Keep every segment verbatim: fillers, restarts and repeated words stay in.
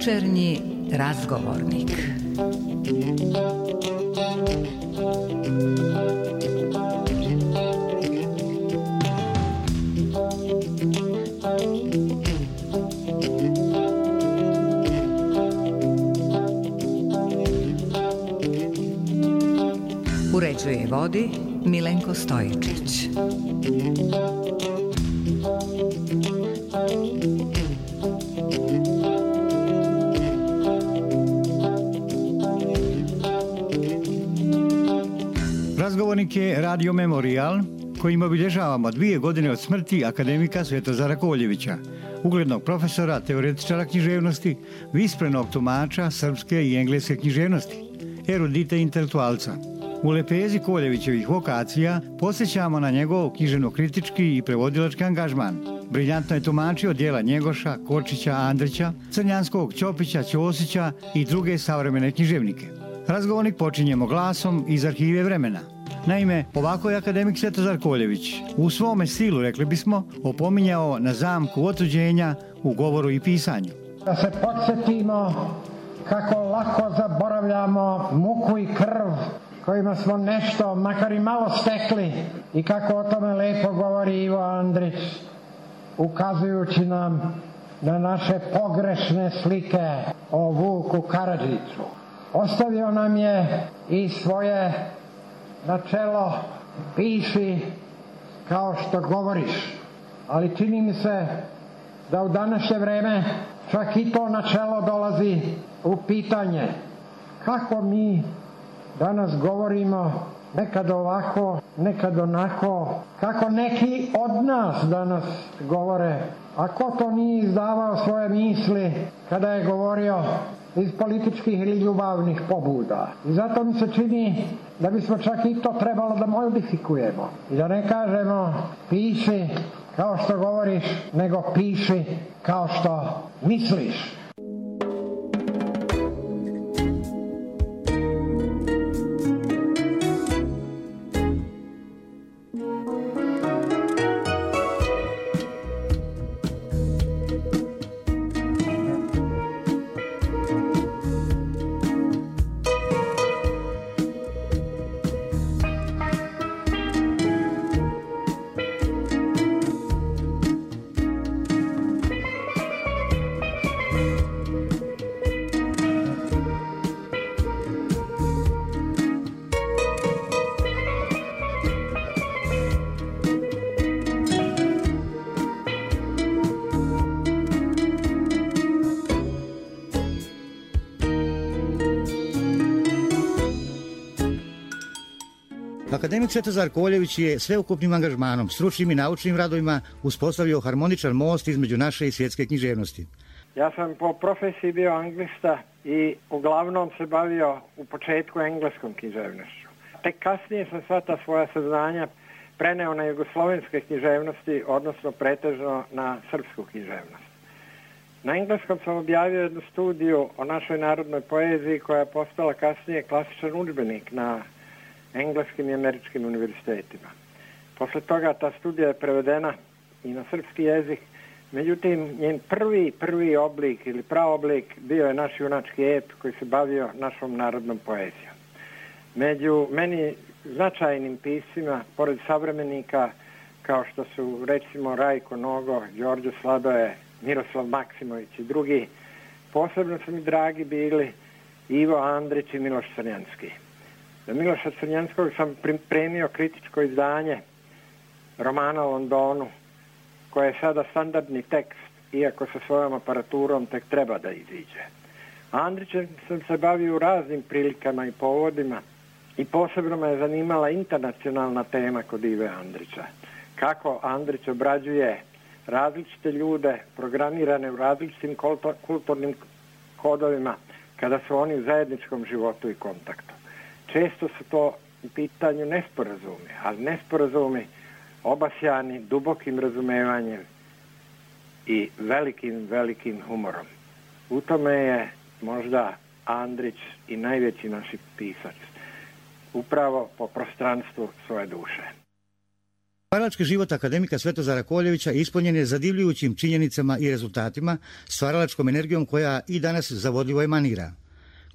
Večernji razgovornik. Uređuje i vodi Milenko Stojičić. Razgovornik je Radio Memorijal, kojim obilježavamo dvije godine od smrti akademika Svetozara Koljevića, uglednog profesora, teoretičara književnosti, visprenog tumača srpske i engleske književnosti, erudita intelektualca. U lepezi Koljevićevih vokacija posjećamo na njegov književno-kritički i prevodilački angažman. Briljantno je tumačio djela Njegoša, Kočića, Andrića, Crnjanskog, Ćopića, Ćosića i druge savremene književnike. Razgovornik počinjemo glasom iz arhive vremena. Naime, ovako je akademik Svetozar Koljević u svome stilu, rekli bismo, opominjao na zamku otuđenja u govoru i pisanju. Da se podsjetimo kako lako zaboravljamo muku i krv kojima smo nešto, makar i malo stekli, i kako o tome lepo govori Ivo Andrić, ukazujući nam na naše pogrešne slike o Vuku Karadžiću. Ostavio nam je i svoje načelo piši kao što govoriš, ali čini mi se da u današnje vreme čak i to načelo dolazi u pitanje. Kako mi danas govorimo, nekad ovako, nekad onako, kako neki od nas danas govore, a ko to nije izdavao svoje misli kada je govorio iz političkih ili ljubavnih pobuda. I zato mi se čini da bismo čak i to trebalo da modifikujemo. I da ne kažemo piši kao što govoriš, nego piši kao što misliš. Akademik Svetozar Koljević je sveukupnim angažmanom, stručnim i naučnim radovima uspostavio harmoničan most između naše i svjetske književnosti. Ja sam po profesiji bio anglista i uglavnom se bavio u početku engleskom književnošću. Tek kasnije sam sva ta svoja saznanja preneo na jugoslovenske književnosti, odnosno pretežno na srpsku književnost. Na engleskom sam objavio jednu studiju o našoj narodnoj poeziji koja je postala kasnije klasičan udžbenik na engleskim i američkim univerzitetima. Posle toga ta studija je prevedena i na srpski jezik, međutim njen prvi, prvi oblik ili praoblik bio je naš junački ep koji se bavio našom narodnom poezijom. Među meni značajnim piscima, pored savremenika kao što su recimo Rajko Nogo, Đorđe Sladoje, Miroslav Maksimović i drugi, posebno su mi dragi bili Ivo Andrić i Miloš Crnjanski. Za Miloša Crnjanskog sam pripremio kritičko izdanje romana o Londonu, koje je sada standardni tekst, iako sa svojom aparaturom tek treba da iziđe. Andrićem sam se bavio u raznim prilikama i povodima i posebno me je zanimala internacionalna tema kod Ive Andrića. Kako Andrić obrađuje različite ljude programirane u različitim kulturnim kodovima kada su oni u zajedničkom životu i kontaktu. Često su to u pitanju nesporazumi, ali nesporazumi obasjani dubokim razumevanjem i velikim, velikim humorom. U tome je možda Andrić i najveći naš pisac, upravo po prostranstvu svoje duše. Stvaralački život akademika Svetozara Koljevića ispunjen je zadivljujućim činjenicama i rezultatima, stvaralačkom energijom koja i danas zavodljivo emanira.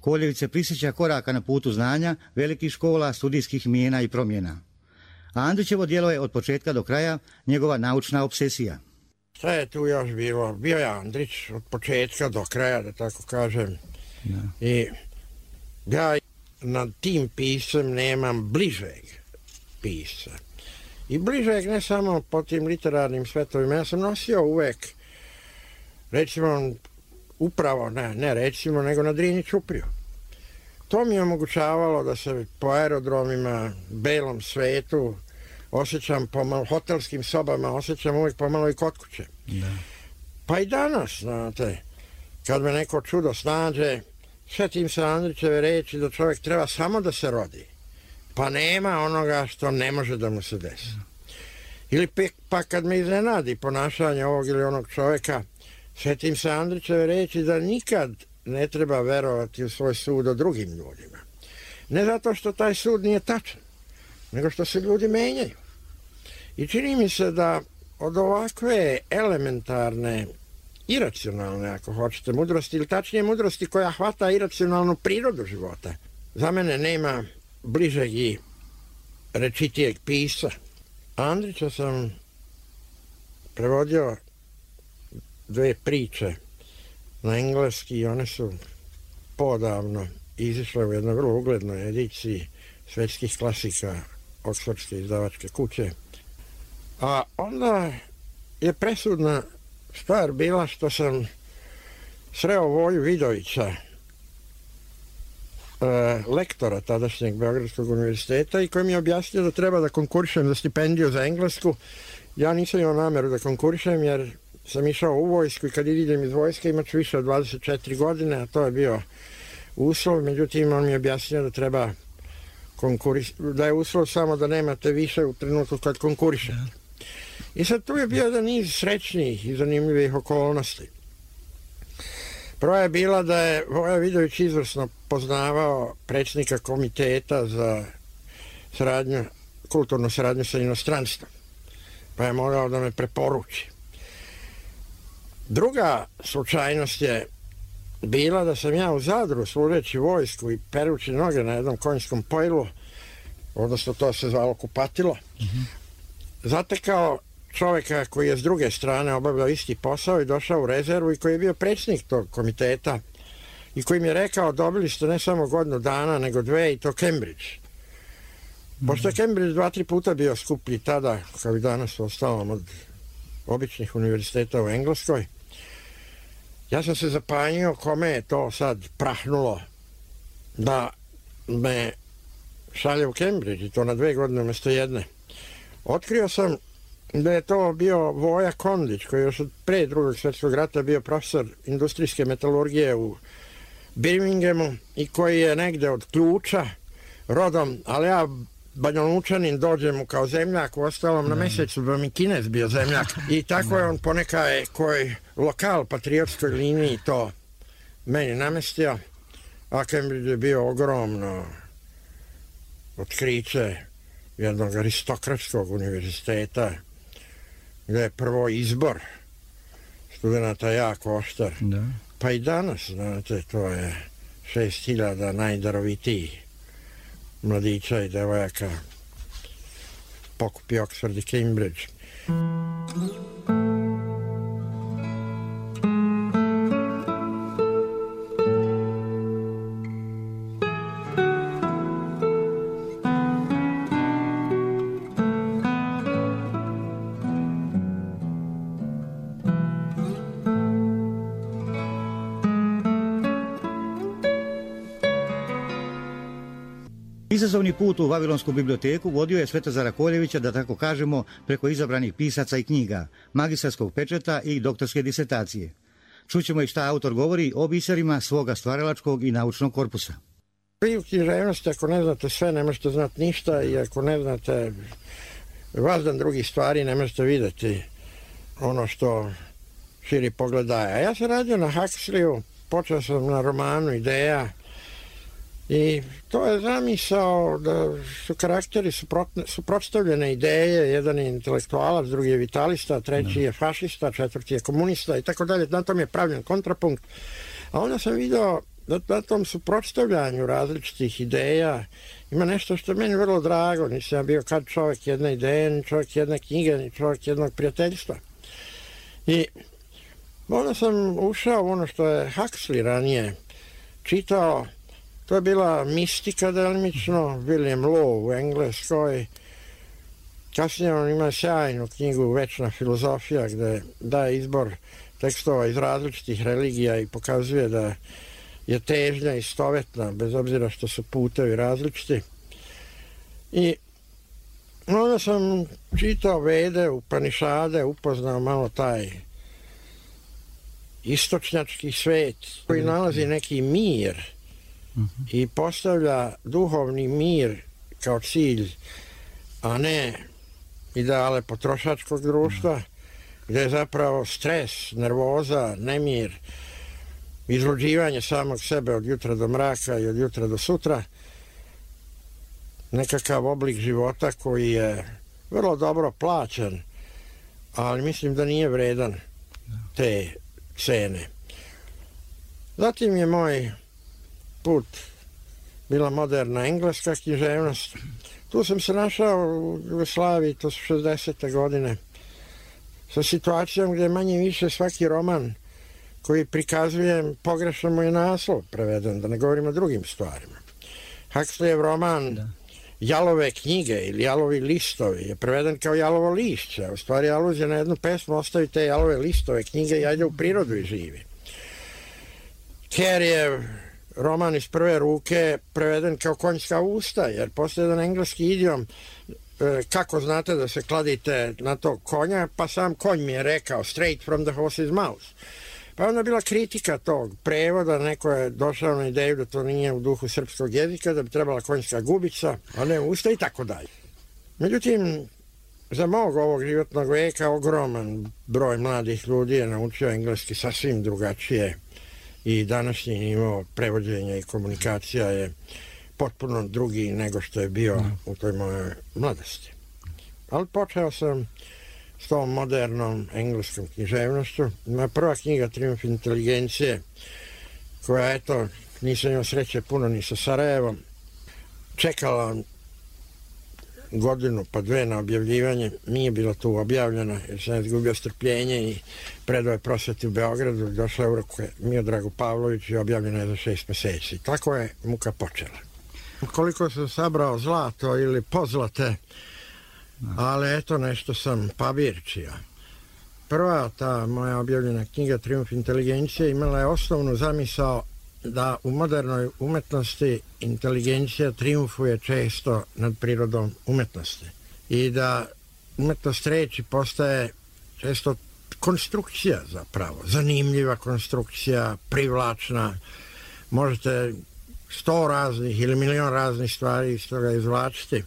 Koljević se prisjeća koraka na putu znanja, velikih škola, studijskih mijena i promjena. A Andrićevo djelo je od početka do kraja njegova naučna obsesija. Šta je tu još bilo? Bio je Andrić od početka do kraja, da tako kažem. Da. I ja nad tim pisem nemam bližeg pisa. I bližeg ne samo po tim literarnim svetovima. Ja sam nosio uvek, recimo, upravo, ne, ne recimo, nego na Drini Ćupriju. To mi je omogućavalo da se po aerodromima, belom svetu, osjećam po hotelskim sobama, osjećam uvijek pomalo i kod kuće. Da. Pa i danas, znate, kad me neko čudo snađe, sjetim se Andrićeve reči da čovjek treba samo da se rodi, pa nema onoga što ne može da mu se desi. Ili pa kad me iznenadi ponašanje ovog ili onog čovjeka, sjetim se Andrićeve reči da nikad ne treba verovati u svoj sud o drugim ljudima. Ne zato što taj sud nije tačan, nego što se ljudi menjaju. I čini mi se da od ovakve elementarne, iracionalne, ako hoćete, mudrosti, ili tačnije mudrosti koja hvata iracionalnu prirodu života, za mene nema bližeg i rečitijeg pisa. Andrića sam prevodio dve priče na engleski i one su podavno izišle u jednoj vrlo uglednoj ediciji svetskih klasika Oksfordske izdavačke kuće. A onda je presudna stvar bila što sam sreo Voju Vidovića, lektora tadašnjeg Beogradskog univerziteta, i koji mi je objasnio da treba da konkurišem za stipendiju za englesku. Ja nisam imao nameru da konkurišem jer sam išao u vojsku i kad idem iz vojske imat ću više od dvadeset četiri godine, a to je bio uslov. Međutim, on mi je objasnio da treba konkuris, da je uslov samo da nemate više u trenutku kad konkurišete. I sad tu je bio jedan niz srećnijih i zanimljivih okolnosti. Prva je bila da je Voja Vidović izvrsno poznavao predsjednika komiteta za saradnju, kulturnu saradnju sa inostranstvom, pa je morao da me preporuči. Druga slučajnost je bila da sam ja u Zadru, služeći vojsku i perući noge na jednom konjskom pojlu, odnosno to se zvalo kupatilo, mm-hmm. zatekao čovjeka koji je s druge strane obavljao isti posao i došao u rezervu i koji je bio predsjednik tog komiteta i koji mi je rekao: dobili ste ne samo godinu dana, nego dve, i to Cambridge. Mm-hmm. Pošto je Cambridge dva, tri puta bio skuplji tada, kao i danas u ostalom, od običnih univerziteta u Engleskoj, ja sam se zapanjio kome je to sad prahnulo da me šalje u Cambridge, i to na dve godine umjesto jedne. Otkrio sam da je to bio Voja Kondić, koji je još od pre drugog svjetskog rata bio profesor industrijske metalurgije u Birminghamu i koji je negde od Ključa rodom, ali ja Banjalučanin dođem mu kao zemljak, u ostalom na mjesecu bi mi Kinez bio zemljak. I tako je on ponekaj koji lokal patriotskoj liniji to meni namestio, a Cambridge je bio ogromno otkriće jednog aristokratskog univerziteta, gdje je prvo izbor studenta jako oštar. Da. Pa i danas, znate, to je šest hiljada najdarovitijih mladića i devojaka pokupi Oxford i Cambridge. Izazovni put u Vavilonsku biblioteku vodio je Svetozara Koljevića, da tako kažemo, preko izabranih pisaca i knjiga, magistarskog pečeta i doktorske disertacije. Čućemo i šta autor govori o biserima svoga stvaralačkog i naučnog korpusa. Vi u književnosti, ako ne znate sve, ne možete znati ništa, i ako ne znate vazdan drugih stvari, ne možete vidjeti ono što širi pogled daje. A ja sam radio na Huxleyu, počeo sam na romanu Ideja. I to je zamisao da su karakteri suprotstavljene ideje, jedan je intelektualac, drugi je vitalista, treći je fašista, četvrti je komunista i tako dalje, na tom je pravljen kontrapunkt. A onda sam vidio da na tom suprotstavljanju različitih ideja ima nešto što je meni vrlo drago, nisam ja bio kad čovjek jedne ideje, ni čovjek jedne knjige, ni čovjek jednog prijateljstva. I onda sam ušao u ono što je Huxley ranije čitao. To je bila mistika delimično, William Law u Engleskoj. Kasnije on ima sjajnu knjigu Večna filozofija gdje daje izbor tekstova iz različitih religija i pokazuje da je težnja istovetna, bez obzira što su putevi različiti. I onda sam čitao Vede, Upanišade, upoznao malo taj istočnjački svet koji nalazi neki mir i postavlja duhovni mir kao cilj, a ne ideale potrošačkog društva, gdje je zapravo stres, nervoza, nemir, izluđivanje samog sebe od jutra do mraka i od jutra do sutra, nekakav oblik života koji je vrlo dobro plaćen, ali mislim da nije vredan te cene. Zatim je moj put bila moderna engleska književnost. Tu sam se našao u Jugoslaviji, to su šezdesete godine, sa situacijom gdje manje više svaki roman koji prikazuje, pogrešno mu je naslov preveden, da ne govorim o drugim stvarima. Huxleyev roman da. Jalove knjige ili Jalovi listovi je preveden kao Jalovo lišće. U stvari aluzija na jednu pesmu, ostavi te Jalove listove knjige i ajde u prirodu i živi. Careyjev roman iz prve ruke preveden kao konjska usta, jer postoji jedan engleski idiom kako znate da se kladite na tog konja, pa sam konj mi je rekao straight from the horse's mouth. Pa onda bila kritika tog prevoda, neko je došao na ideju da to nije u duhu srpskog jezika, da bi trebala konjska gubica, a ne usta i tako dalje. Međutim, za mog ovog životnog veka ogroman broj mladih ljudi je naučio engleski sasvim drugačije i današnji nivo prevođenja i komunikacija je potpuno drugi nego što je bio u toj mojoj mladosti. Ali počeo sam s tom modernom engleskom književnošću. Moja prva knjiga Trijumf inteligencije, koja, eto, nisam imao sreće puno ni sa Sarajevom, čekala godinu pa dve na objavljivanje, nije bila tu objavljena jer sam izgubio strpljenje i predao je Prosveti u Beogradu, došla je u ruke Miodragu Pavloviću i objavljena je za šest meseci. Tako je muka počela. Koliko sam sabrao zlato ili pozlate, ali eto nešto sam pabirčija. Prva ta moja objavljena knjiga Trijumf inteligencije imala je osnovnu zamisao da u modernoj umetnosti inteligencija trijumfuje često nad prirodom umetnosti i da umetnost reči postaje često konstrukcija zapravo, zanimljiva konstrukcija, privlačna, možete sto raznih ili milion raznih stvari iz toga izvlačiti.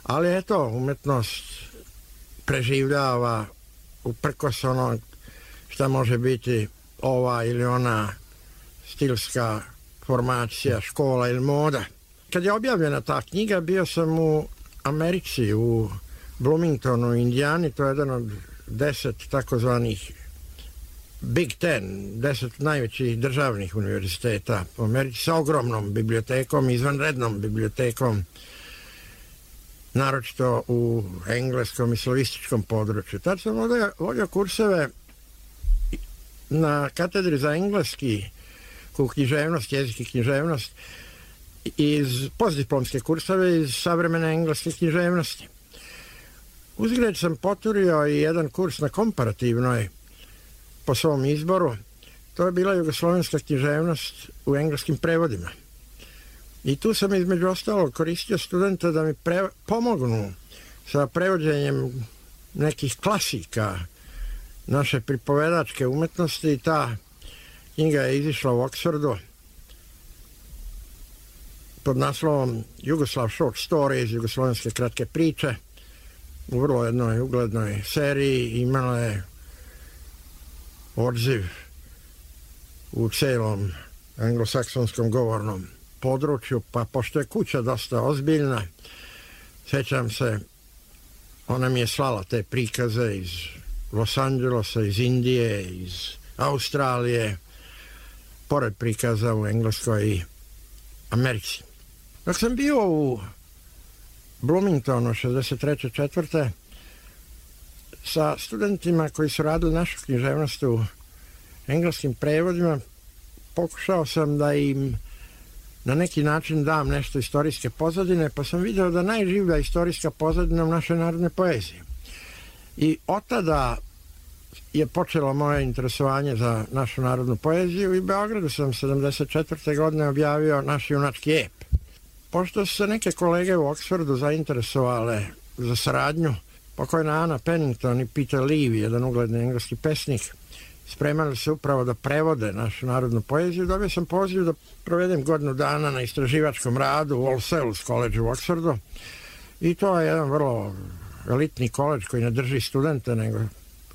Ali eto, umetnost preživljava uprkos ono šta može biti ova ili ona stilska formacija, škola ili moda. Kad je objavljena ta knjiga, bio sam u Americi, u Bloomingtonu, Indijani, to je jedan od deset takozvanih Big Ten, deset najvećih državnih univerziteta u Americi sa ogromnom bibliotekom, izvanrednom bibliotekom, naročito u engleskom i slavističkom području. Tad sam vodio kurseve na katedri za engleski književnost, jezik i književnost, iz postdiplomske kurseve iz savremene engleske književnosti. Uzgled sam poturio i jedan kurs na komparativnoj po svom izboru. To je bila jugoslovenska književnost u engleskim prevodima. I tu sam između ostalog koristio studenta da mi pre, pomognu sa prevođenjem nekih klasika naše pripovedačke umetnosti i ta knjiga je izišla u Oxfordu pod naslovom Jugoslav Short Stories, jugoslovenske kratke priče, u vrlo jednoj uglednoj seriji, imala je odziv u celom anglosaksonskom govornom području, pa pošto je kuća dosta ozbiljna, sjećam se, ona mi je slala te prikaze iz Los Angelesa, iz Indije, iz Australije, pored prikaza u Engleskoj i Americi. Dok sam bio u Bloomingtonu šezdeset treće četvrte sa studentima koji su radili našu književnost u engleskim prevodima, pokušao sam da im na neki način dam nešto istorijske pozadine, pa sam vidio da najživlja istorijska pozadina u našoj narodnoj poeziji. I od tada je počelo moje interesovanje za našu narodnu poeziju i u Beogradu sam sedamdeset četvrte godine objavio naš junački ep. Pošto su se neke kolege u Oksfordu zainteresovale za saradnju, pokojna Ana Pennington i Peter Levy, jedan ugledni engleski pesnik, spremali se upravo da prevode našu narodnu poeziju. Dobio sam poziv da provedem godinu dana na istraživačkom radu u All Souls College u Oksfordu i to je jedan vrlo elitni koledž koji ne drži studente, nego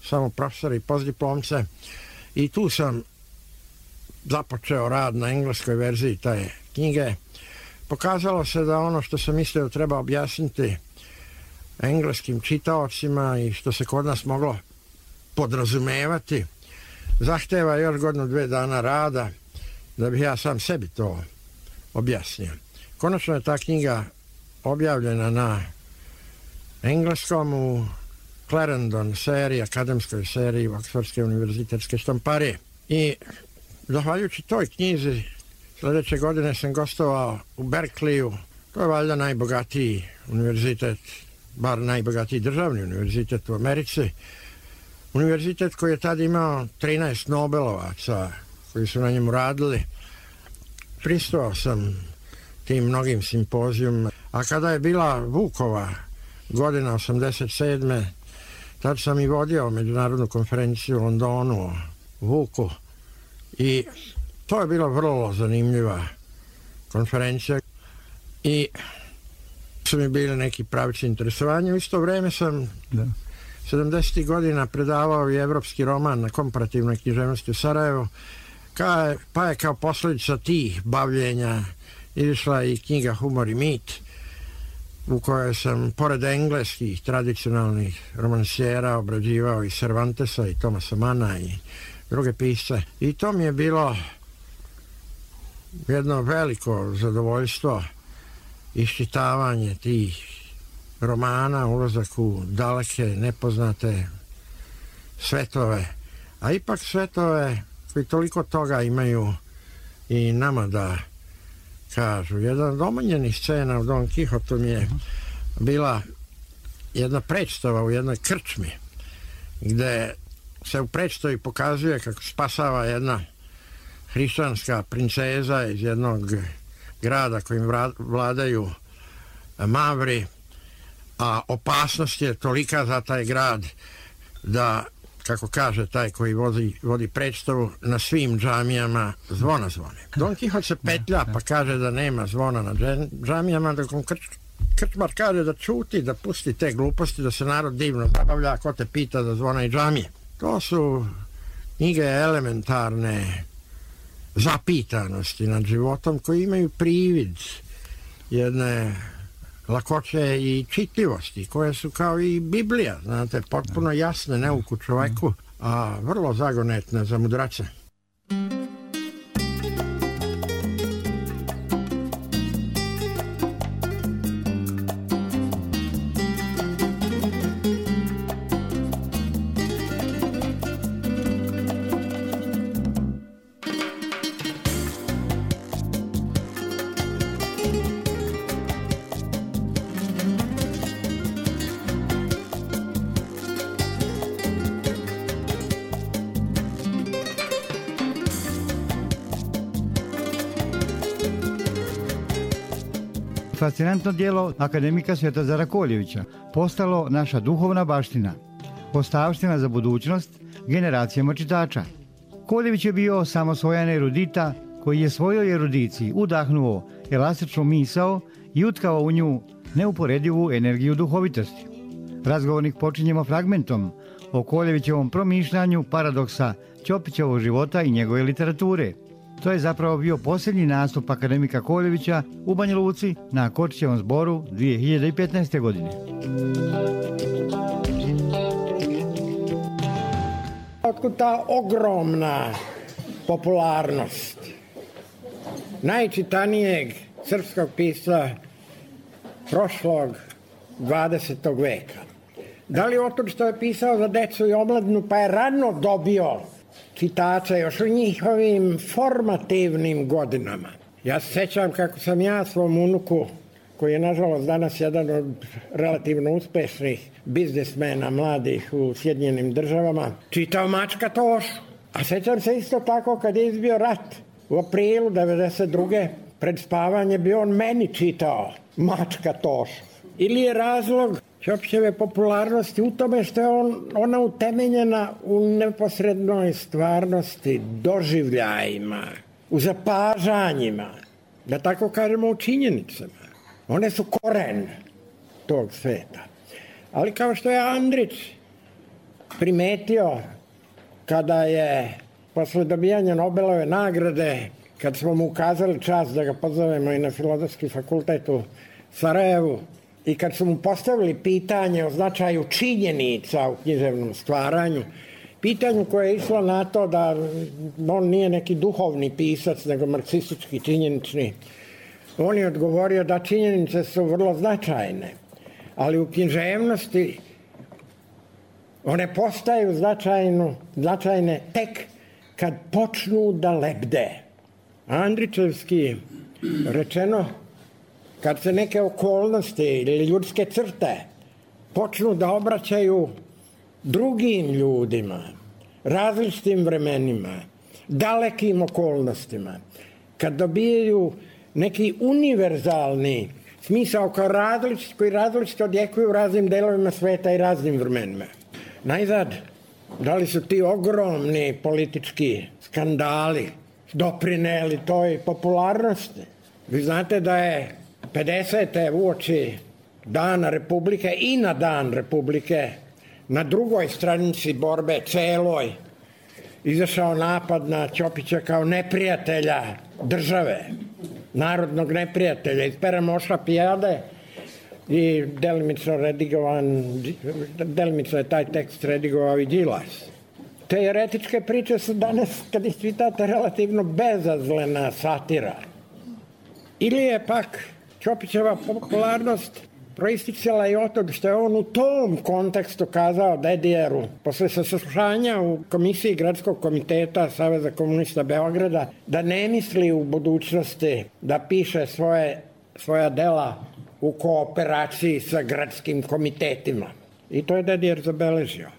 samo profesori i postdiplomce. I tu sam započeo rad na engleskoj verziji te knjige. Pokazalo se da ono što sam mislio treba objasniti engleskim čitaocima i što se kod nas moglo podrazumevati, zahteva još godinu dve dana rada da bih ja sam sebi to objasnio. Konačno je ta knjiga objavljena na engleskom u Clarendon seriji, akademskoj seriji Oksfordske univerzitetske štamparije. I zahvaljujući toj knjizi sljedeće godine sam gostovao u Berkeleyu. To je valjda najbogatiji univerzitet, bar najbogatiji državni univerzitet u Americi. Univerzitet koji je tad imao trinaest Nobelovaca koji su na njemu radili. Pristovao sam tim mnogim simpozijum. A kada je bila Vukova godina osamdeset sedme tad sam i vodio međunarodnu konferenciju u Londonu o Vuku i to je bila vrlo zanimljiva konferencija i su mi bili neki pravici interesovanja. U isto vreme sam da. sedamdesetih godina predavao i evropski roman na komparativnoj književnosti u Sarajevu, ka, pa je kao posljedica tih bavljenja izišla i knjiga Humor i mit, u kojoj sam pored engleskih tradicionalnih romansijera obrađivao i Cervantesa i Thomasa Manna i druge pisce. I to mi je bilo jedno veliko zadovoljstvo, iščitavanje tih romana, ulazak u daleke, nepoznate svetove, a ipak svetove koji toliko toga imaju i nama da kažu. Jedan od omiljenih scena u Don Kihotu mi je bila jedna predstava u jednoj krčmi, gde se u predstavi pokazuje kako spasava jedna hrišćanska princeza iz jednog grada kojim vladaju Mavri, a opasnost je tolika za taj grad da, kako kaže taj koji vodi, vodi predstavu, na svim džamijama zvona zvone. Don Kihot se petlja pa kaže da nema zvona na džamijama, dok on krč, krčmar kaže da čuti, da pusti te gluposti, da se narod divno zabavlja, ako te pita da zvona i džamije. To su knjige elementarne zapitanosti nad životom koji imaju privid jedne lakoće i čitljivosti koje su kao i Biblija, znate, potpuno jasne neuku čoveku, a vrlo zagonetne za mudrace. Fascinantno djelo akademika Svetozara Koljevića postalo naša duhovna baština, ostavština za budućnost generacijama čitača. Koljević je bio samosvojan erudita koji je svojoj erudiciji udahnuo elastičnu misao i utkao u nju neuporedivu energiju duhovitosti. Razgovornik počinjemo fragmentom o Koljevićevom promišljanju paradoksa Ćopićevog života i njegove literature. To je zapravo bio posljednji nastup akademika Koljevića u Banja Luci na Kočićevom zboru dvije hiljade petnaeste. godine. Otkud ta ogromna popularnost najčitanijeg srpskog pisca prošlog dvadesetog veka? Da li otud što je pisao za decu i omladinu pa je rano dobio čitača još u njihovim formativnim godinama? Ja se sećam kako sam ja svom unuku, koji je nažalost danas jedan od relativno uspešnih biznismena mladih u Sjedinjenim državama, čitao Mačka Tošu. A sećam se isto tako kad je izbio rat u aprilu devedeset druge. pred spavanje bi on meni čitao Mačka Tošu. Ili je razlog Ćopićeve popularnosti u tome što je on, ona utemeljena u neposrednoj stvarnosti, doživljajima, u zapažanjima, da tako kažemo u činjenicama. One su koren tog sveta. Ali kao što je Andrić primetio kada je posle dobijanja Nobelove nagrade, kad smo mu ukazali čast da ga pozovemo i na Filozofski fakultet u Sarajevu, i kad su mu postavili pitanje o značaju činjenica u književnom stvaranju, pitanju koje je išlo na to da on nije neki duhovni pisac, nego marksistički činjenični, on je odgovorio da činjenice su vrlo značajne, ali u književnosti one postaju značajno, značajne tek kad počnu da lebde. Andrićevski rečeno, kad se neke okolnosti ili ljudske crte počnu da obraćaju drugim ljudima, različitim vremenima, dalekim okolnostima, kad dobijaju neki univerzalni smisao kao različit, koji različito odjekuju u raznim delovima sveta i raznim vremenima. Najzad, da li su ti ogromni politički skandali doprineli toj popularnosti? Vi znate da je pedesete uoči Dana Republike i na Dan Republike na drugoj stranici borbe celoj izašao napad na Ćopića kao neprijatelja države, narodnog neprijatelja iz pera Moša Pijade, i delimično redigovan, delimično je taj tekst redigovao i Đilas. Te eretičke priče su danas, kad ih čitate, relativno bezazlena satira. Ili je pak Ćopićeva popularnost proisticala i od toga što je on u tom kontekstu kazao Dedijeru, posle saslušanja u komisiji Gradskog komiteta Saveza komunista Beograda, da ne misli u budućnosti da piše svoje, svoja dela u kooperaciji sa gradskim komitetima. I to je Dedijer zabeležio.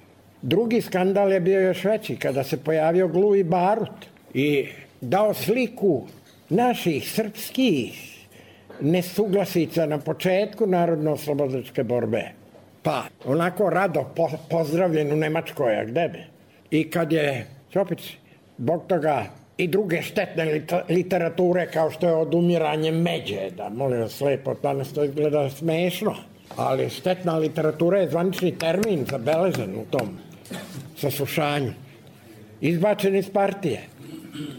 Drugi skandal je bio još veći, kada se pojavio Gluvi Barut i dao sliku naših srpskih nesuglasica na početku narodno-oslobodilačke borbe. Pa, onako rado po, pozdravljen u Nemačkoj, a gde bi? I kad je Ćopić zbog toga i druge štetne literature, kao što je Odumiranje međe, da molim vas lepo, danas to izgleda smešno, ali štetna literatura je zvanični termin zabeležen u tom saslušanju. Izbačen iz partije.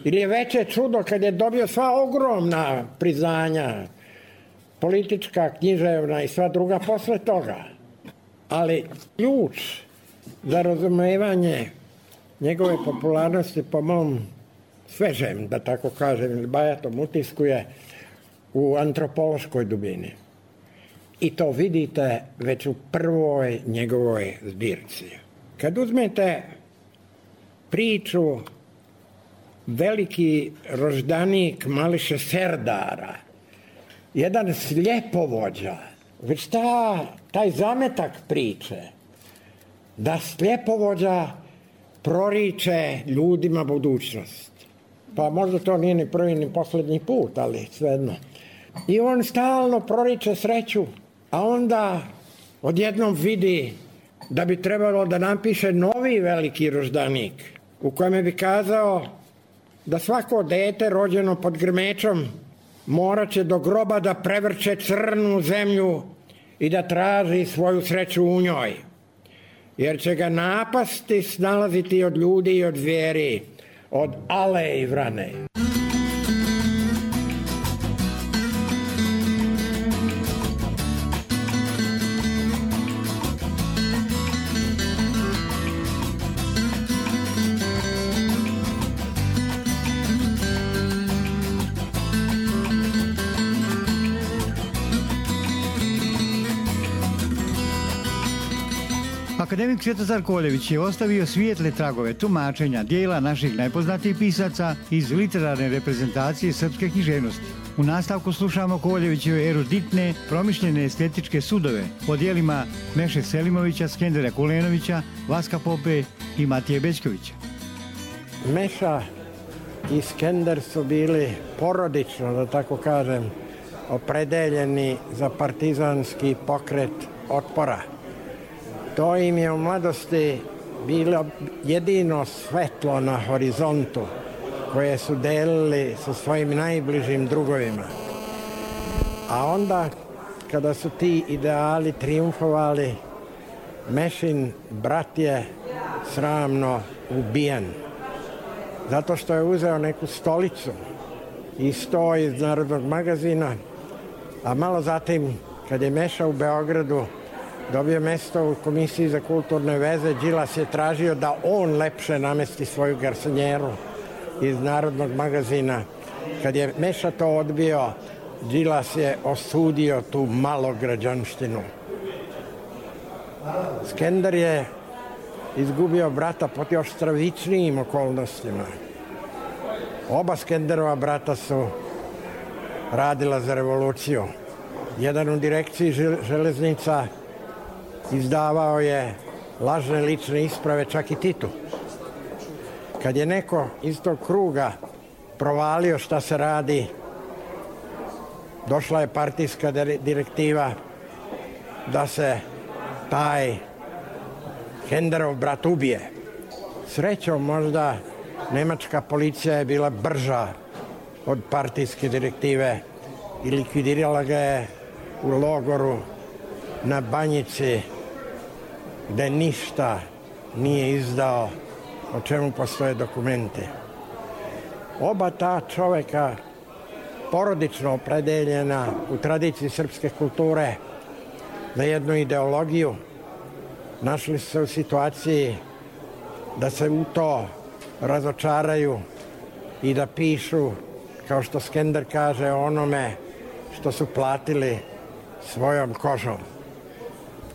Ili je veće čudo kad je dobio sva ogromna priznanja, politička, književna i sva druga posle toga. Ali ključ za razumevanje njegove popularnosti po mom svežem, da tako kažem, ili bajatom utisku je u antropološkoj dubini. I to vidite već u prvoj njegovoj zbirci. Kad uzmete priču Veliki roždanik Mališe Serdara, jedan sljepovođa, već ta, taj zametak priče, da sljepovođa proriče ljudima budućnost. Pa možda to nije ni prvi ni posljednji put, ali svejedno. I on stalno proriče sreću, a onda odjednom vidi da bi trebalo da napiše novi veliki roždanik, u kojem bi kazao da svako dete rođeno pod grmečom morat će do groba da prevrće crnu zemlju i da traži svoju sreću u njoj, jer će ga napasti snalaziti od ljudi i od zvijeri, od ale i vrane. Akademik Svetozar Koljević je ostavio svijetle tragove tumačenja dijela naših najpoznatijih pisaca iz literarne reprezentacije srpske književnosti. U nastavku slušamo Koljevićeve eruditne, promišljene estetičke sudove o dijelima Meše Selimovića, Skendera Kulenovića, Vaska Pope i Matije Bećkovića. Meša i Skender su bili porodično, da tako kažem, opredeljeni za partizanski pokret otpora. To im je u mladosti bilo jedino svetlo na horizontu koje su delili sa svojim najbližim drugovima. A onda, kada su ti ideali triumfovali, Mešin brat je sramno ubijen. Zato što je uzeo neku stolicu i sto iz Narodnog magazina, a malo zatim, kad je Meša u Beogradu dobio mesto u Komisiji za kulturne veze, Đilas je tražio da on lepše namesti svoju garsonjeru iz Narodnog magazina. Kad je Meša to odbio, Đilas je osudio tu malograđanštinu. Skender je izgubio brata pod još stravičnijim okolnostima. Oba Skenderova brata su radila za revoluciju. Jedan u direkciji železnica izdavao je lažne lične isprave čak i Titu. Kad je neko iz tog kruga provalio šta se radi, došla je partijska direktiva da se taj Skenderov brat ubije. Srećom možda nemačka policija je bila brža od partijske direktive i likvidirala ga je u logoru na Banjici, gde ništa nije izdao, o čemu postoje dokumenti. Oba ta čoveka, porodično opredeljena u tradiciji srpske kulture za jednu ideologiju, našli su se u situaciji da se u to razočaraju i da pišu, kao što Skender kaže, onome što su platili svojom kožom.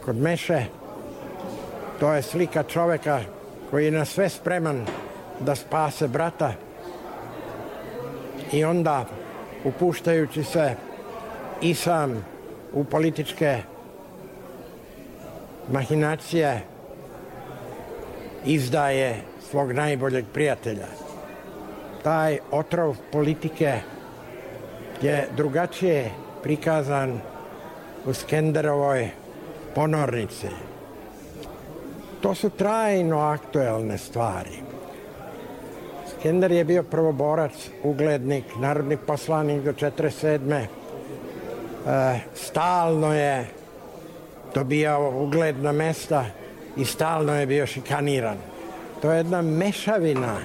Kod Meše to je slika čoveka koji je na sve spreman da spase brata i onda, upuštajući se i sam u političke mahinacije, izdaje svog najboljeg prijatelja. Taj otrov politike je drugačije prikazan u Skenderovoj Ponornici. To su trajno aktuelne stvari. Skender je bio prvoborac, uglednik, narodni poslanik do četrdeset sedme. E, stalno je dobijao ugledna mesta i stalno je bio šikaniran. To je jedna mešavina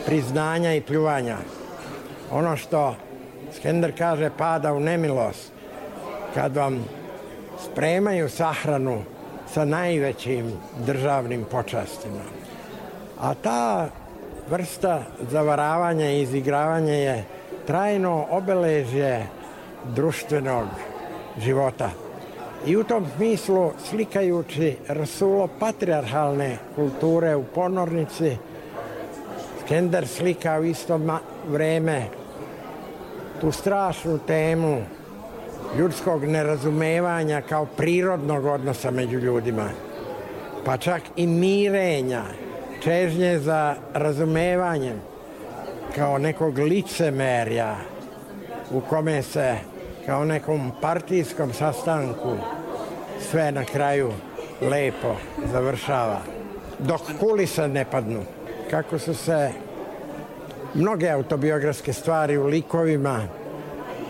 priznanja i pljuvanja. Ono što Skender kaže pada u nemilost, kad vam spremaju sahranu sa najvećim državnim počastima. A ta vrsta zavaravanja i izigravanja je trajno obeležje društvenog života. I u tom smislu, slikajući rasulo patrijarhalne kulture u Ponornici, Skender slika u isto vreme tu strašnu temu ljudskog nerazumevanja kao prirodnog odnosa među ljudima, pa čak i mirenja, čežnje za razumevanjem kao nekog licemerja u kome se kao nekom partijskom sastanku sve na kraju lepo završava. Dok kulise ne padnu, kako su se mnoge autobiografske stvari u likovima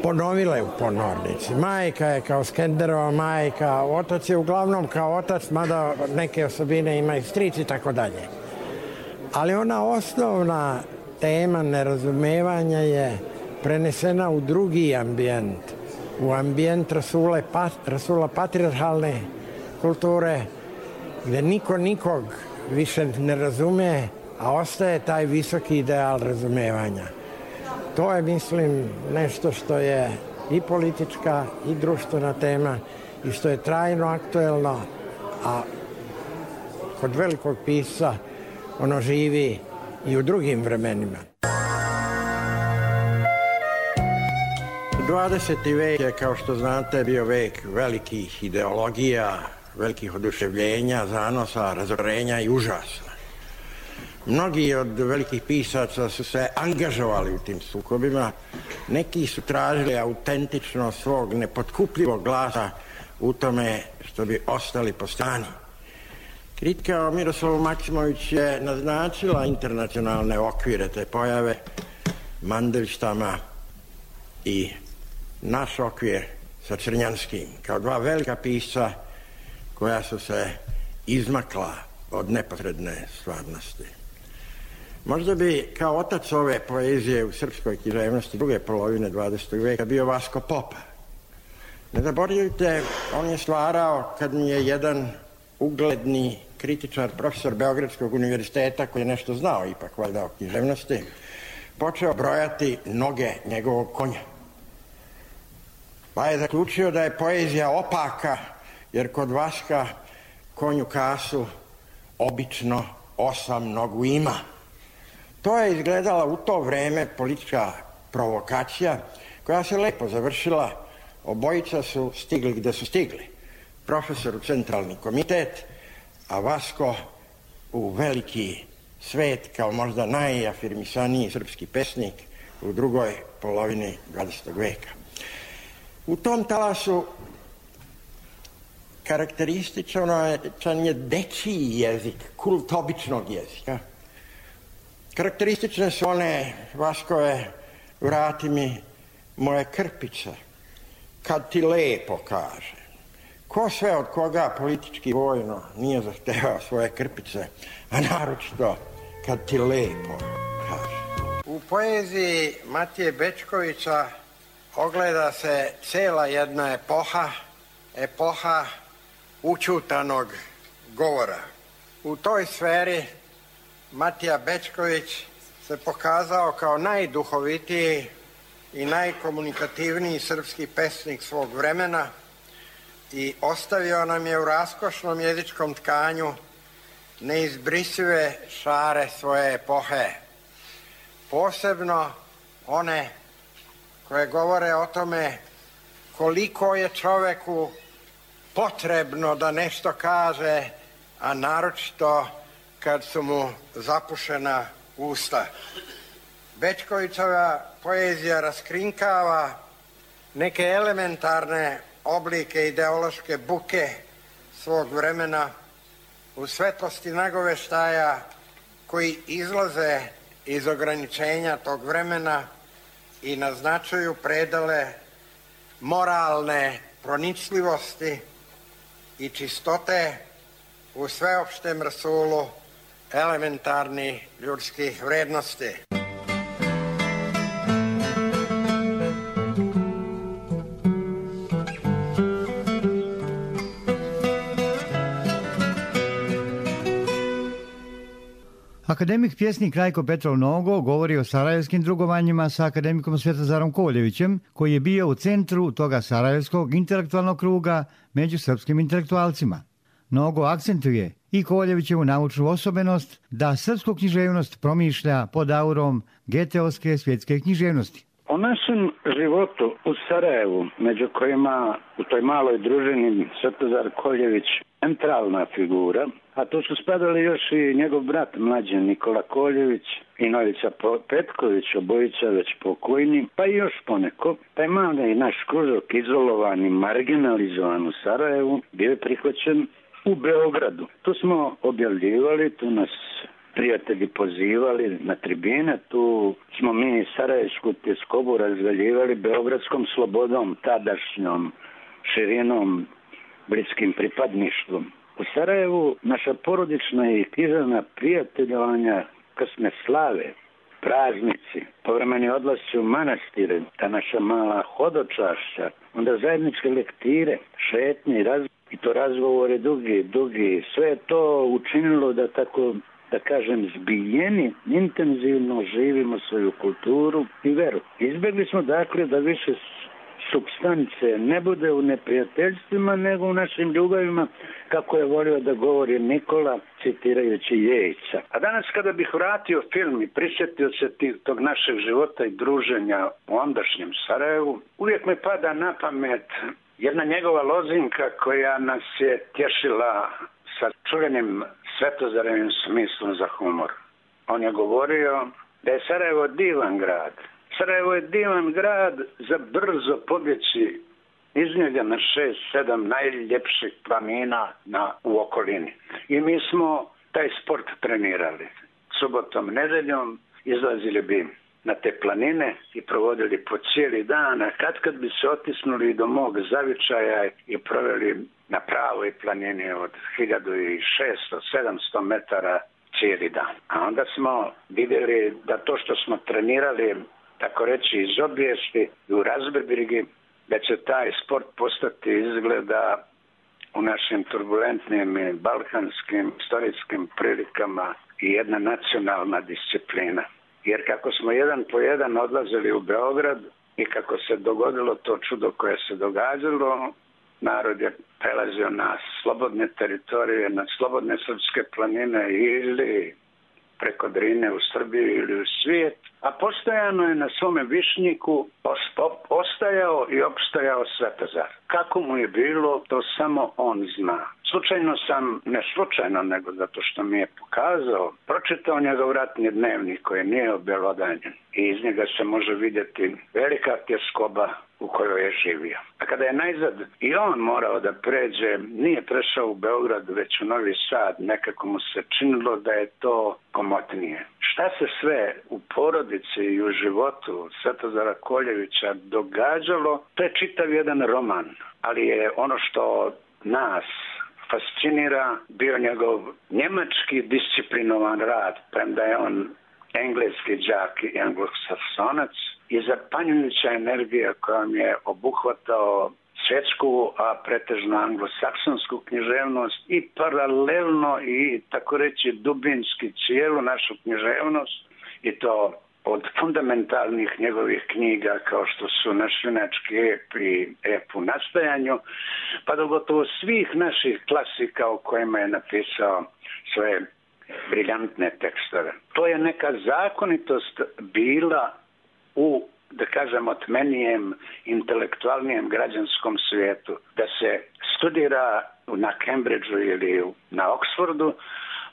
ponovile u Ponornici. Majka je kao Skenderova majka, otac je uglavnom kao otac, mada neke osobine ima i stric i tako dalje. Ali ona osnovna tema nerazumevanja je prenesena u drugi ambijent, u ambijent Rasule, Rasula patrijarhalne kulture, gde niko nikog više ne razume, a ostaje taj visoki ideal razumevanja. To je, mislim, nešto što je i politička i društvena tema i što je trajno aktuelno, a kod velikog pisca ono živi i u drugim vremenima. dvadeseti vek je, kao što znate, bio vek velikih ideologija, velikih oduševljenja, zanosa, razorenja i užasa. Mnogi od velikih pisaca su se angažovali u tim sukobima, neki su tražili autentičnost svog nepotkupljivog glasa u tome što bi ostali po strani. Kritika o Miroslavu Maksimović je naznačila internacionalne okvire te pojave, Mandelštama i naš okvir sa Crnjanskim, kao dva velika pisca koja su se izmakla od neposredne stvarnosti. Možda bi kao otac ove poezije u srpskoj književnosti druge polovine dvadesetog veka bio Vasko Popa. Ne zaboravite, on je stvarao kad mi je jedan ugledni kritičar, profesor Beogradskog univerziteta, koji je nešto znao ipak valjda o književnosti, počeo brojati noge njegovog konja. Pa je zaključio da je poezija opaka, jer kod Vaska konju kasu obično osam nogu ima. To je izgledala u to vreme politička provokacija koja se lepo završila. Obojica su stigli gde su stigli. Profesor u centralni komitet, a Vasko u veliki svet kao možda najafirmisaniji srpski pesnik u drugoj polovini dvadesetog veka. U tom talasu karakterističan je dečiji jezik, kult običnog jezika. Karakteristične su one Vaskove vrati mi moje krpice, kad ti lepo kaže. Ko sve od koga politički vojno nije zahtevao svoje krpice, a naročito kad ti lepo kaže. U poeziji Matije Bečkovića ogleda se cela jedna epoha, epoha učutanog govora. U toj sferi Matija Bečković se pokazao kao najduhovitiji i najkomunikativniji srpski pesnik svog vremena i ostavio nam je u raskošnom jezičkom tkanju neizbrisive šare svoje epohe. Posebno one koje govore o tome koliko je čoveku potrebno da nešto kaže, a naročito kad su mu zapušena usta. Bečkovićeva poezija raskrinkava neke elementarne oblike ideološke buke svog vremena u svetlosti nagoveštaja koji izlaze iz ograničenja tog vremena i naznačuju predele moralne pronicljivosti i čistote u sveopštem rasulu elementarnih ljudskih vrednosti. Akademik pjesnik Rajko Petrov Nogo govori o sarajevskim drugovanjima sa akademikom Svjetozarom Koljevićem, koji je bio u centru toga sarajevskog intelektualnog kruga među srpskim intelektualcima. Nogo akcentuje i Koljevićevu naučnu osobenost da srpsku književnost promišlja pod aurom geteovske svjetske književnosti. O našem životu u Sarajevu, među kojima u toj maloj družini Svetozar Koljević centralna figura, a tu su spadali još i njegov brat mlađi Nikola Koljević i Novica Petković, obojica već pokojni, pa i još poneko. Taj mali naš kružok, izolovan i marginalizovan u Sarajevu, bio je prihvaćen u Beogradu. Tu smo objavljivali, tu nas prijatelji pozivali na tribine, tu smo mi sarajevsku tjeskobu razvaljivali beogradskom slobodom, tadašnjom širinom, bliskim pripadništvom. U Sarajevu naša porodična i književna prijateljovanja, krsne slave, praznici, povremeni odlasci u manastire, ta naša mala hodočašća, onda zajedničke lektire, šetnje i to razgovore dugi, dugi, sve to učinilo da tako, da kažem, zbiljeni, intenzivno živimo svoju kulturu i veru. Izbjegli smo dakle da više supstance ne bude u neprijateljstvima, nego u našim ljubavima, kako je volio da govori Nikola, citirajući Jejca. A danas kada bih vratio film i prisjetio se tog našeg života i druženja u ondašnjem Sarajevu, uvijek me pada na pamet jedna njegova lozinka koja nas je tješila sa čuvenim Svetozarevim smislom za humor. On je govorio da je Sarajevo divan grad. Sarajevo je divan grad za brzo pobjeći iz njega na šest, sedam najljepših planina na, u okolini. I mi smo taj sport trenirali. Subotom, nedeljom izlazili bi na te planine i provodili po cijeli dan, a kad kad bi se otisnuli do mog zavičaja i proveli na pravoj planini od hiljadu šesto do sedamsto metara cijeli dan. A onda smo vidjeli da to što smo trenirali, tako reći iz obijesti i u razbebrigi, da će taj sport postati izgleda u našim turbulentnim i balkanskim istorijskim prilikama i jedna nacionalna disciplina. Jer kako smo jedan po jedan odlazili u Beograd i kako se dogodilo to čudo koje se događalo, narod je prelazio na slobodne teritorije, na slobodne srpske planine ili preko Drine u Srbiji ili u svijet, a postojano je na svome višnjiku ostajao i opstajao Svetozar. Kako mu je bilo, to samo on zna. Slučajno sam, ne slučajno, nego zato što mi je pokazao, pročitao njegov ratni dnevnik koji nije objelodanjen i iz njega se može vidjeti velika tjeskoba u kojoj je živio. A kada je najzad i on morao da pređe, nije prešao u Beograd, već u Novi Sad, nekako mu se činilo da je to komotnije. Šta se sve u porodici i u životu Svetozara Koljevića događalo, to je čitav jedan roman, ali je ono što nas fascinira bio njegov njemački disciplinovan rad, premda je on engleski đak i anglosaksonac, i zapanjujuća energija kojom je obuhvatao svjetsku, a pretežno anglosaksonsku književnost i paralelno i tako reći dubinski cijelu našu književnost, i to od fundamentalnih njegovih knjiga kao što su Naš junački ep i Ep u nastajanju, pa do gotovo svih naših klasika o kojima je napisao svoje briljantne tekstove. To je neka zakonitost bila u, da kažemo, tmenijem, intelektualnijem građanskom svijetu, da se studira na Cambridgeu ili na Oxfordu,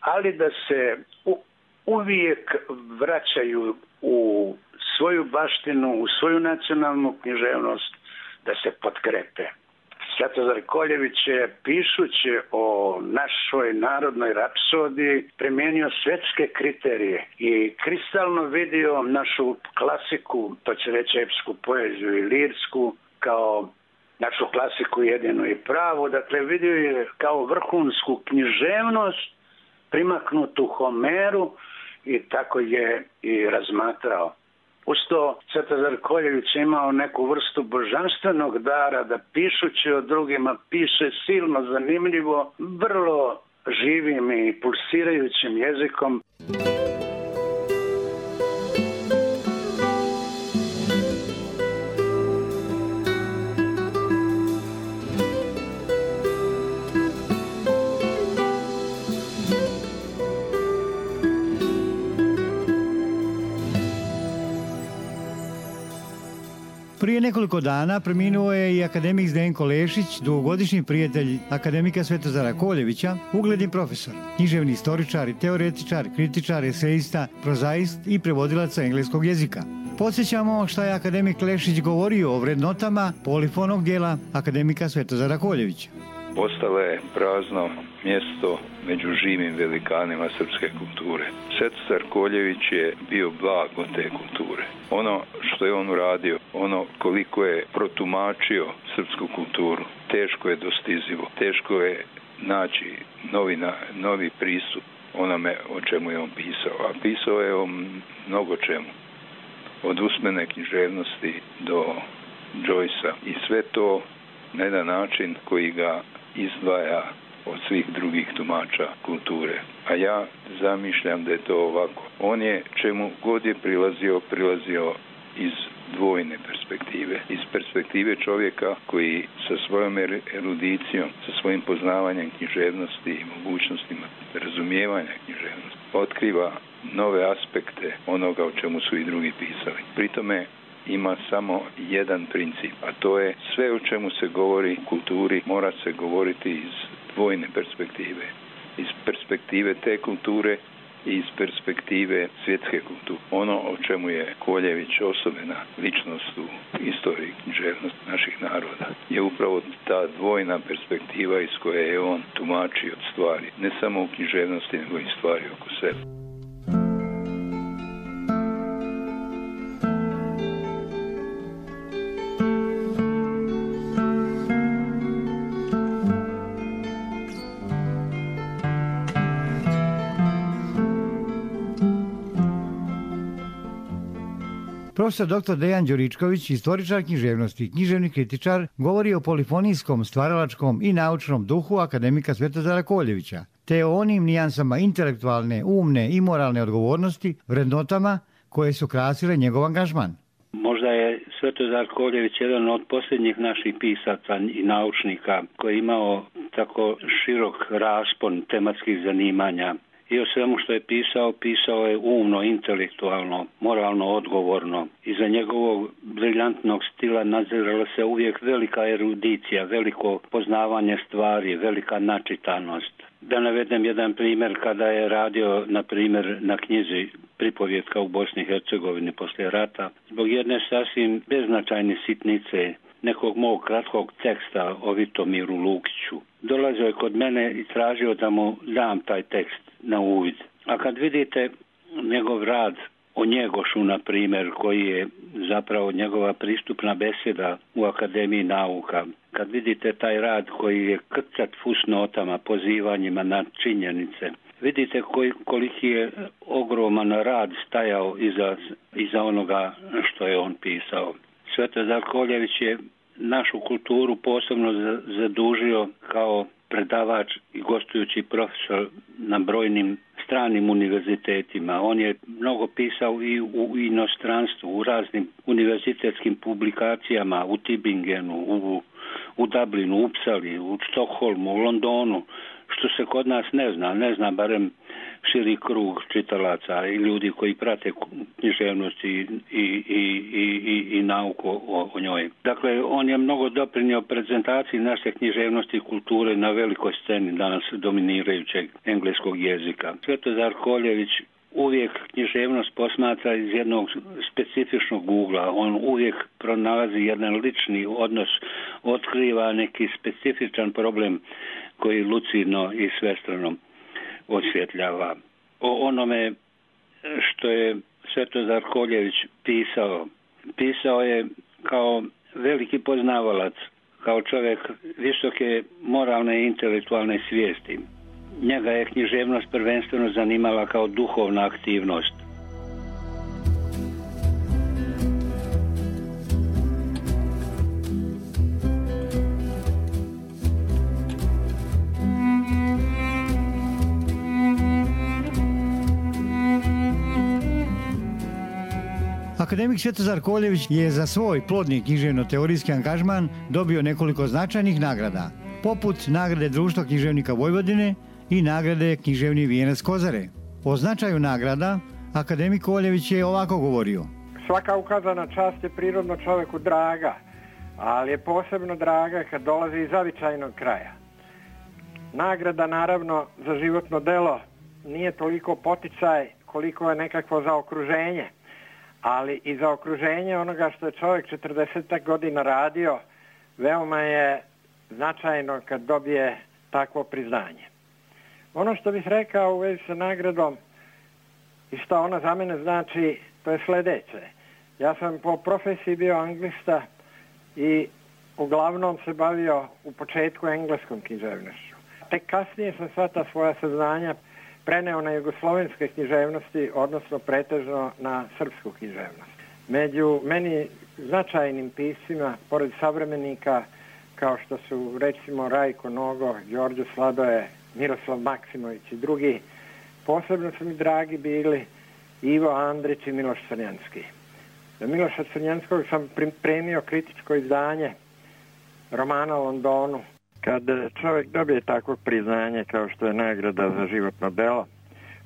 ali da se u, uvijek vraćaju u svoju baštinu, u svoju nacionalnu književnost, da se potkrepe. Svetozar Koljević je, pišući o našoj narodnoj rapsodiji, primijenio svjetske kriterije i kristalno vidio našu klasiku, to će reći epsku poeziju i lirsku, kao našu klasiku jedinu i pravu. Dakle, vidio je kao vrhunsku književnost primaknutu Homeru i tako je i razmatrao. Usto Svetozar Koljević imao neku vrstu božanstvenog dara da pišući o drugima piše silno zanimljivo, vrlo živim i pulsirajućim jezikom. Prije nekoliko dana preminuo je i akademik Zdenko Lešić, dugogodišnji prijatelj akademika Svetozara Koljevića, ugledni profesor, književni istoričar i teoretičar, kritičar, eseista, prozaist i prevodilac engleskog jezika. Podsjećamo šta je akademik Lešić govorio o vrednotama polifonog dijela akademika Svetozara Koljevića. Ostalo je prazno mjesto među živim velikanima srpske kulture. Svetozar Koljević je bio blago te kulture. Ono što je on uradio, ono koliko je protumačio srpsku kulturu, teško je dostizivo, teško je naći novi, novi pristup onome o čemu je on pisao. A pisao je o mnogo čemu. Od usmene književnosti do Joycea i sve to na jedan način koji ga izdvaja od svih drugih tumača kulture. A ja zamišljam da je to ovako. On je čemu god je prilazio, prilazio iz dvojne perspektive. Iz perspektive čovjeka koji sa svojom erudicijom, sa svojim poznavanjem književnosti i mogućnostima razumijevanja književnosti otkriva nove aspekte onoga o čemu su i drugi pisali. Pri tome ima samo jedan princip, a to je sve o čemu se govori u kulturi mora se govoriti iz dvojne perspektive. Iz perspektive te kulture i iz perspektive svjetske kulture. Ono o čemu je Koljević osobena ličnost u istoriji književnosti naših naroda je upravo ta dvojna perspektiva iz koje je on tumačio stvari, ne samo u književnosti, nego i stvari oko sebe. Profesor doktor Dejan Đuričković, istoričar književnosti i književni kritičar, govori o polifonijskom, stvaralačkom i naučnom duhu akademika Svetozara Koljevića, te o onim nijansama intelektualne, umne i moralne odgovornosti, vrednotama koje su krasile njegov angažman. Možda je Svetozar Koljević jedan od posljednjih naših pisaca i naučnika koji je imao tako širok raspon tematskih zanimanja. I o svemu što je pisao, pisao je umno, intelektualno, moralno odgovorno. Iza njegovog briljantnog stila nadzirala se uvijek velika erudicija, veliko poznavanje stvari, velika načitanost. Da navedem jedan primjer, kada je radio, na primjer, na knjizi Pripovjetka u Bosni i Hercegovini poslije rata, zbog jedne sasvim beznačajne sitnice, nekog mog kratkog teksta o Vitomiru Lukiću. Dolazio je kod mene i tražio da mu dam taj tekst na uvid. A kad vidite njegov rad o Njegošu, na primjer, koji je zapravo njegova pristupna beseda u Akademiji nauka, kad vidite taj rad koji je krcat fusnotama, pozivanjima na činjenice, vidite koji, koliki je ogroman rad stajao iza, iza onoga što je on pisao. Svetozar Koljević je našu kulturu posebno zadužio kao predavač i gostujući profesor na brojnim stranim univerzitetima. On je mnogo pisao i u inostranstvu, u raznim univerzitetskim publikacijama, u Tübingenu, u, u Dublinu, u Upsali, u Stokholmu, u Londonu, što se kod nas ne zna, ne zna barem širi krug čitalaca i ljudi koji prate književnost i, i, i, i, i nauku o, o njoj. Dakle, on je mnogo doprinio prezentaciji naše književnosti i kulture na velikoj sceni danas dominirajućeg engleskog jezika. Svetozar Koljević uvijek književnost posmatra iz jednog specifičnog ugla. On uvijek pronalazi jedan lični odnos, otkriva neki specifičan problem koji lucidno i svestrano osvjetljava. O onome što je Svetozar Koljević pisao, pisao je kao veliki poznavalac, kao čovjek visoke moralne i intelektualne svijesti. Njega je književnost prvenstveno zanimala kao duhovna aktivnost. Akademik Svetozar Koljević je za svoj plodni književno-teorijski angažman dobio nekoliko značajnih nagrada, poput nagrade Društva književnika Vojvodine i nagrade Književni vijenac Kozare. O značaju nagrada akademik Koljević je ovako govorio. Svaka ukazana čast je prirodno čovjeku draga, ali je posebno draga kad dolazi iz zavičajnog kraja. Nagrada, naravno, za životno delo nije toliko poticaj koliko je nekakvo zaokruženje, ali i za okruženje onoga što je čovjek četrdeset godina radio, veoma je značajno kad dobije takvo priznanje. Ono što bih rekao u vezi sa nagradom i što ona za mene znači, to je sljedeće. Ja sam po profesiji bio anglista i uglavnom se bavio u početku engleskom književnošću. Tek kasnije sam sva ta svoja saznanja preneo na jugoslovenske književnosti, odnosno pretežno na srpsku književnost. Među meni značajnim piscima, pored savremenika, kao što su recimo Rajko Nogo, Đorđe Sladoje, Miroslav Maksimović i drugi, posebno su mi dragi bili Ivo Andrić i Miloš Crnjanski. Miloša Crnjanskog sam pripremio kritičko izdanje romana o Londonu. Kad čovjek dobije takvo priznanje kao što je nagrada za životno delo,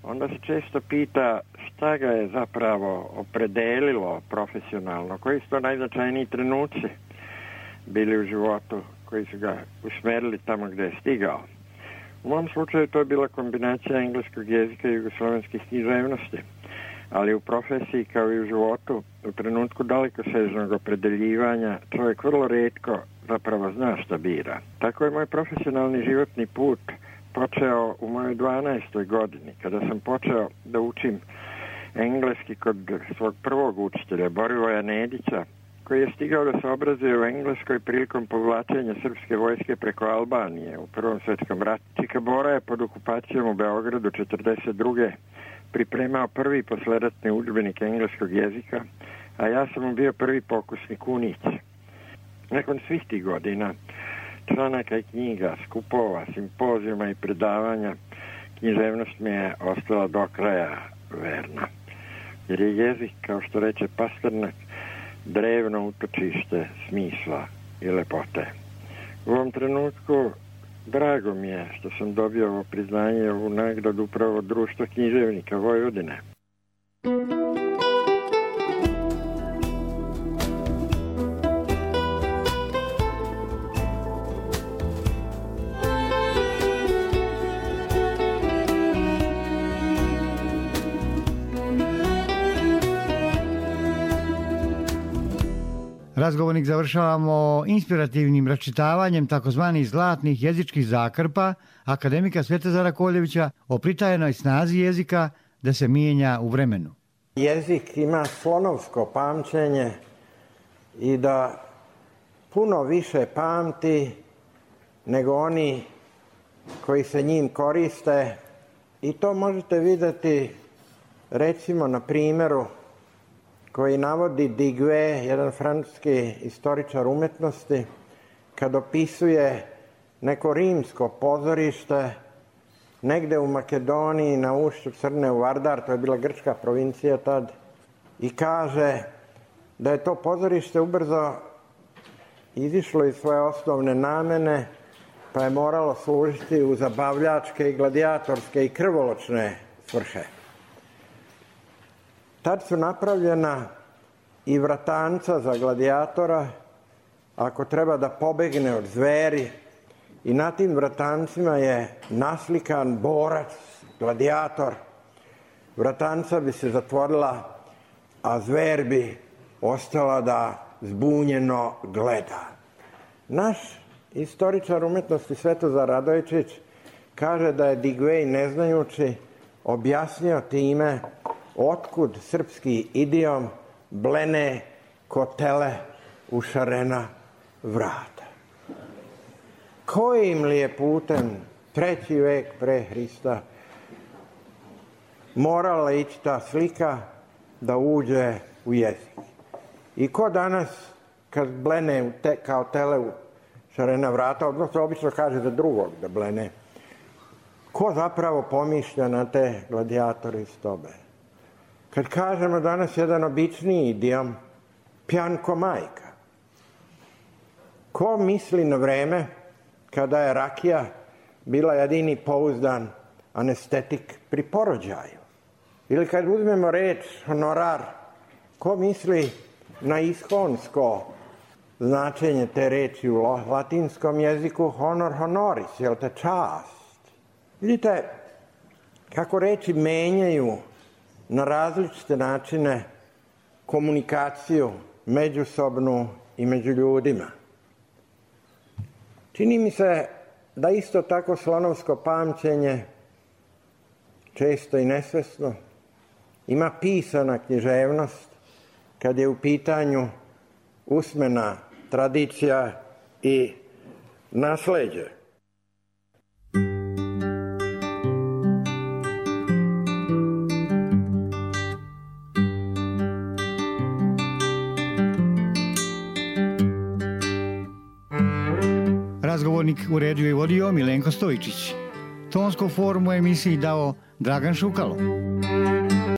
onda se često pita šta ga je zapravo opredelilo profesionalno, koji su to najznačajniji trenuci bili u životu koji su ga usmerili tamo gdje je stigao. U mom slučaju to je bila kombinacija engleskog jezika i jugoslovenskih književnosti, ali u profesiji kao i u životu, u trenutku dalekosežnog opredeljivanja, čovjek vrlo retko zapravo zna šta bira. Tako je moj profesionalni životni put počeo u mojoj dvanaestoj godini, kada sam počeo da učim engleski kod svog prvog učitelja, Borivoja Nedića, koji je stigao da se obrazuje u Engleskoj prilikom povlačenja srpske vojske preko Albanije u Prvom svjetskom ratu. Čika Bora je pod okupacijom u Beogradu četrdeset druge pripremao prvi posleratni udžbenik engleskog jezika, a ja sam mu bio prvi pokusnik unić. Nakon svih tih godina, članaka i knjiga, skupova, simpozijuma i predavanja, književnost mi je ostala do kraja verna. Jer je jezik, kao što reče Pasternak, drevno utočište smisla i lepote. U ovom trenutku drago mi je što sam dobio ovo priznanje, ovu nagradu upravo od Društva književnika Vojvodine. Razgovornik završavamo inspirativnim račitavanjem takozvanih zlatnih jezičkih zakrpa akademika Svetozara Koljevića o pritajenoj snazi jezika da se mijenja u vremenu. Jezik ima slonovsko pamćenje i da puno više pamti nego oni koji se njim koriste, i to možete vidjeti recimo na primjeru koji navodi Digue, jedan francuski istoričar umetnosti, kad opisuje neko rimsko pozorište negde u Makedoniji na ušću Crne u Vardar, to je bila grčka provincija tad, i kaže da je to pozorište ubrzo izišlo iz svoje osnovne namene, pa je moralo služiti u zabavljačke i gladijatorske i krvoločne svrhe. Tad su napravljena i vratanca za gladijatora, ako treba da pobegne od zveri, i na tim vratancima je naslikan borac, gladijator. Vratanca bi se zatvorila, a zver bi ostala da zbunjeno gleda. Naš istoričar umetnosti Svetozar Radojčić kaže da je Digvej neznajući objasnio time otkud srpski idiom blene ko tele u šarena vrata. Kojim li je putem treći vek pre Hrista morala ići ta slika da uđe u jezik? I ko danas kad blene te, kao tele u šarena vrata, odnosno obično kaže za drugog da blene, ko zapravo pomišlja na te gladijatori iz tobe? Kad kažemo danas jedan običniji idiom, pjan ko majka. Ko misli na vreme kada je rakija bila jedini pouzdan anestetik pri porođaju? Ili kad uzmemo reč honorar, ko misli na ishonsko značenje te reči u latinskom jeziku honor honoris, jel te čast? Vidite kako reči menjaju na različite načine komunikaciju međusobnu i među ljudima. Čini mi se da isto tako slonovsko pamćenje, često i nesvesno, ima pisana književnost kad je u pitanju usmena tradicija i nasleđe. Razgovornik uredio i vodio Milenko Stojičić. Tonsku formu emisiji dao Dragan Šukalo.